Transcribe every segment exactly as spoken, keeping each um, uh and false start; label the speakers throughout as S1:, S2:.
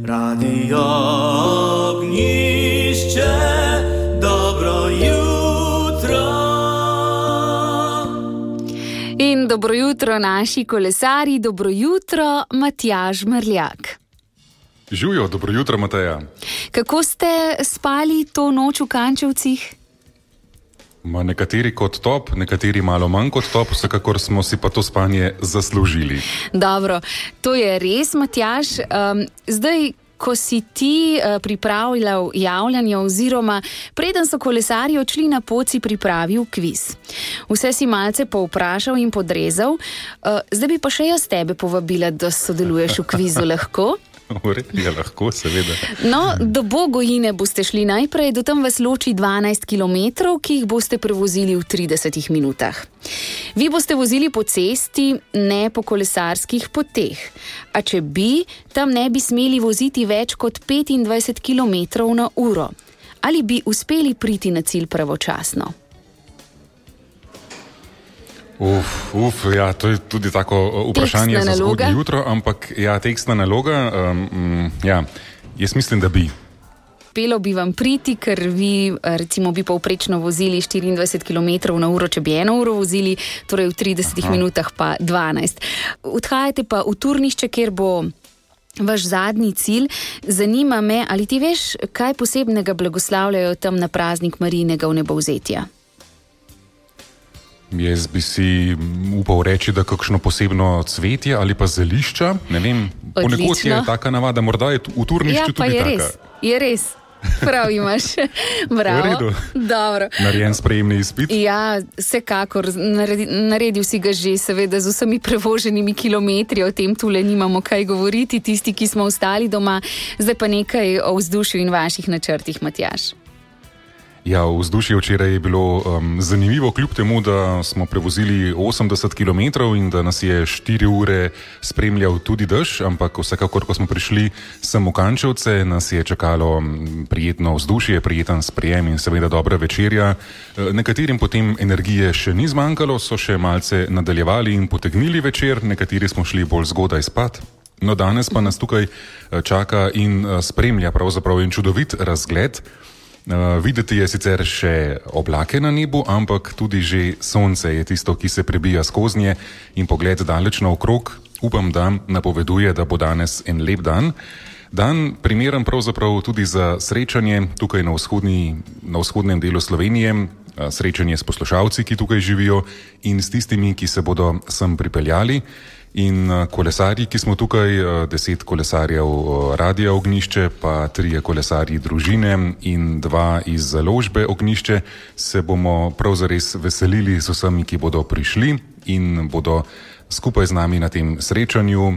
S1: Radio Ognišče, dobro jutro.
S2: In dobro jutro naši kolesarji, dobro jutro Matjaž Merljak.
S3: Živjo, dobro jutro Mateja.
S2: Kako ste spali to noč v Kančevcih?
S3: Ma nekateri kot top, nekateri malo manj kot top, vsekakor smo si pa to spanje zaslužili.
S2: Dobro, to je res, Matjaž. Um, zdaj, ko si ti uh, pripravljal javljanje oziroma preden so kolesarji odšli na pot, si pripravil kviz. Vse si malce povprašal in podrezal. Uh, zdaj bi pa še jaz tebe povabila, da sodeluješ v kvizu, lahko?
S3: Ja, lahko, seveda.
S2: No, do Bogojine boste šli najprej, do tam vas loči dvanajst kilometrov, ki jih boste prevozili v tridesetih minutah. Vi boste vozili po cesti, ne po kolesarskih poteh. A če bi, tam ne bi smeli voziti več kot petindvajset kilometrov na uro. Ali bi uspeli priti na cilj pravočasno?
S3: Uf, uf, ja, to je tudi tako vprašanje za zgodnje jutro, ampak ja, tekstna naloga, um, ja, jaz mislim, da bi.
S2: Uspelo bi vam priti, ker vi recimo bi povprečno vozili štiriindvajset kilometrov na uro, če bi eno uro vozili, torej v tridesetih Aha. minutah pa dvanajst. Odhajate pa v Turnišče, kjer bo vaš zadnji cilj. Zanima me, ali ti veš, kaj posebnega blagoslavljajo tam na praznik Marijinega vnebovzetja?
S3: Jaz bi si upal reči, da kakšno posebno cvetje ali pa zelišča, ne vem, ponekod je taka navada, morda je v Turnišču tudi taka.
S2: Ja, pa je res, je res. Prav imaš. Bravo.
S3: V redu.
S2: Dobro.
S3: Narejen sprejemni izpit.
S2: Ja, vsekakor. Naredi, naredil si ga že, seveda, z vsemi prevoženimi kilometri, o tem tule nimamo kaj govoriti, tisti, ki smo ostali doma. Zdaj pa nekaj o vzdušju in vaših načrtih, Matjaž.
S3: Ja, vzdušje včeraj je bilo um, zanimivo, kljub temu, da smo prevozili osemdeset kilometrov in da nas je štiri ure spremljal tudi dež, ampak vsekakor, ko smo prišli sem v Kančevce, nas je čakalo prijetno vzdušje, prijeten sprejem in seveda dobra večerja. Nekaterim potem energije še ni zmanjkalo, so še malce nadaljevali in potegnili večer, nekateri smo šli bolj zgodaj spat. No, danes pa nas tukaj čaka in spremlja pravzaprav en čudovit razgled. Uh, videti je sicer še oblake na nebu, ampak tudi že sonce je tisto, ki se prebija skoznje in pogled daleč naokrog. Upam, da napoveduje, da bo danes en lep dan. Dan primeren pravzaprav tudi za srečanje tukaj na, vzhodni, na vzhodnem delu Slovenije, srečanje s poslušalci, ki tukaj živijo in s tistimi, ki se bodo sem pripeljali. In kolesarji, ki smo tukaj, deset kolesarjev Radia Ognišče, pa trije kolesarji družine in dva iz založbe Ognišče, se bomo prav zares veselili z vsemi, ki bodo prišli in bodo skupaj z nami na tem srečanju.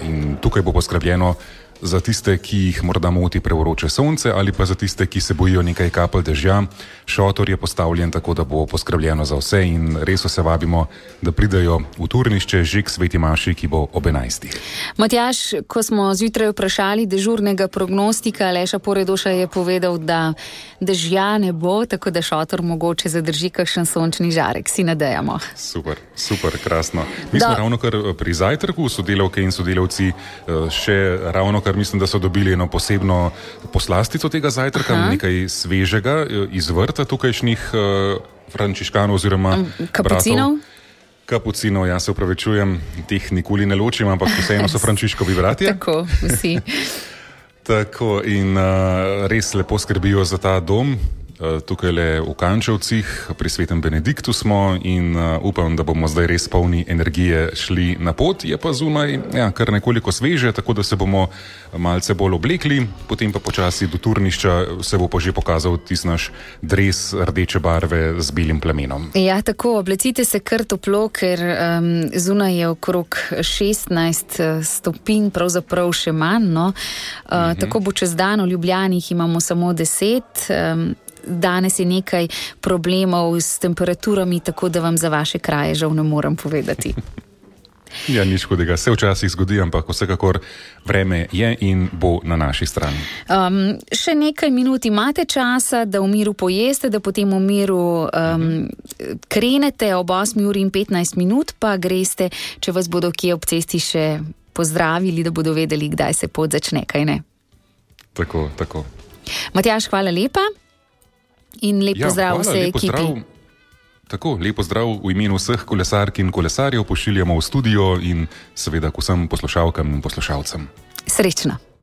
S3: In tukaj bo poskrbljeno za tiste, ki jih morda moti prevroče sonce ali pa za tiste, ki se bojijo nekaj kapelj dežja. Šotor je postavljen tako, da bo poskrbljeno za vse in res vse vabimo, da pridejo v Turnišče že k sveti maši, ki bo ob enajstih.
S2: Matjaž, ko smo zjutraj vprašali dežurnega prognostika, Aleša Poredoša je povedal, da dežja ne bo, tako da šotor mogoče zadrži kakšen sončni žarek, si nadejamo.
S3: Super, super, krasno. Mi smo ravno kar pri zajtrku, sodelavke in sodelavci še ravno kar mislim, da so dobili eno posebno poslastico tega zajtrka, Aha. nekaj svežega iz vrta tukajšnjih uh, frančiškanov oziroma
S2: kapucinov.
S3: Bratov. Kapucinov, ja se upravičujem, teh nikoli ne ločim, ampak vseeno so frančiškovi bratje.
S2: Tako, vsi.
S3: Tako in uh, res lepo skrbijo za ta dom. Tukaj le v Kančevcih, pri svetem Benediktu smo in uh, upam, da bomo zdaj res polni energije šli na pot. Je pa zunaj ja, kar nekoliko sveže, tako da se bomo malce bolj oblekli, potem pa počasi do Turnišča se bo pa že pokazal tisti naš dres rdeče barve z belim plamenom.
S2: Ja, tako, oblecite se kar toplo, ker um, zunaj je okrog šestnajst stopinj, pravzaprav še manj. No? Uh, mhm. Tako bo čez dan, v Ljubljani imamo samo deset. Um, Danes je nekaj problemov s temperaturami, tako da vam za vaše kraje žal ne morem povedati.
S3: Ja, nič hudega. Se včasih zgodi, ampak vsekakor vreme je in bo na naši strani. Um,
S2: še nekaj minut imate časa, da v miru pojeste, da potem v miru um, krenete ob osmi uri in petnajst minut, pa greste, če vas bodo kje ob cesti še pozdravili, da bodo vedeli, kdaj se pot začne, kaj ne?
S3: Tako, tako.
S2: Matjaž, hvala lepa in lep
S3: Ja,
S2: pozdrav
S3: hvala,
S2: vsej
S3: lep
S2: ekipi.
S3: pozdrav. Tako, lep pozdrav v imenu vseh kolesark in kolesarjev pošiljamo v studio in seveda k vsem poslušalkam in poslušalcem.
S2: Srečno.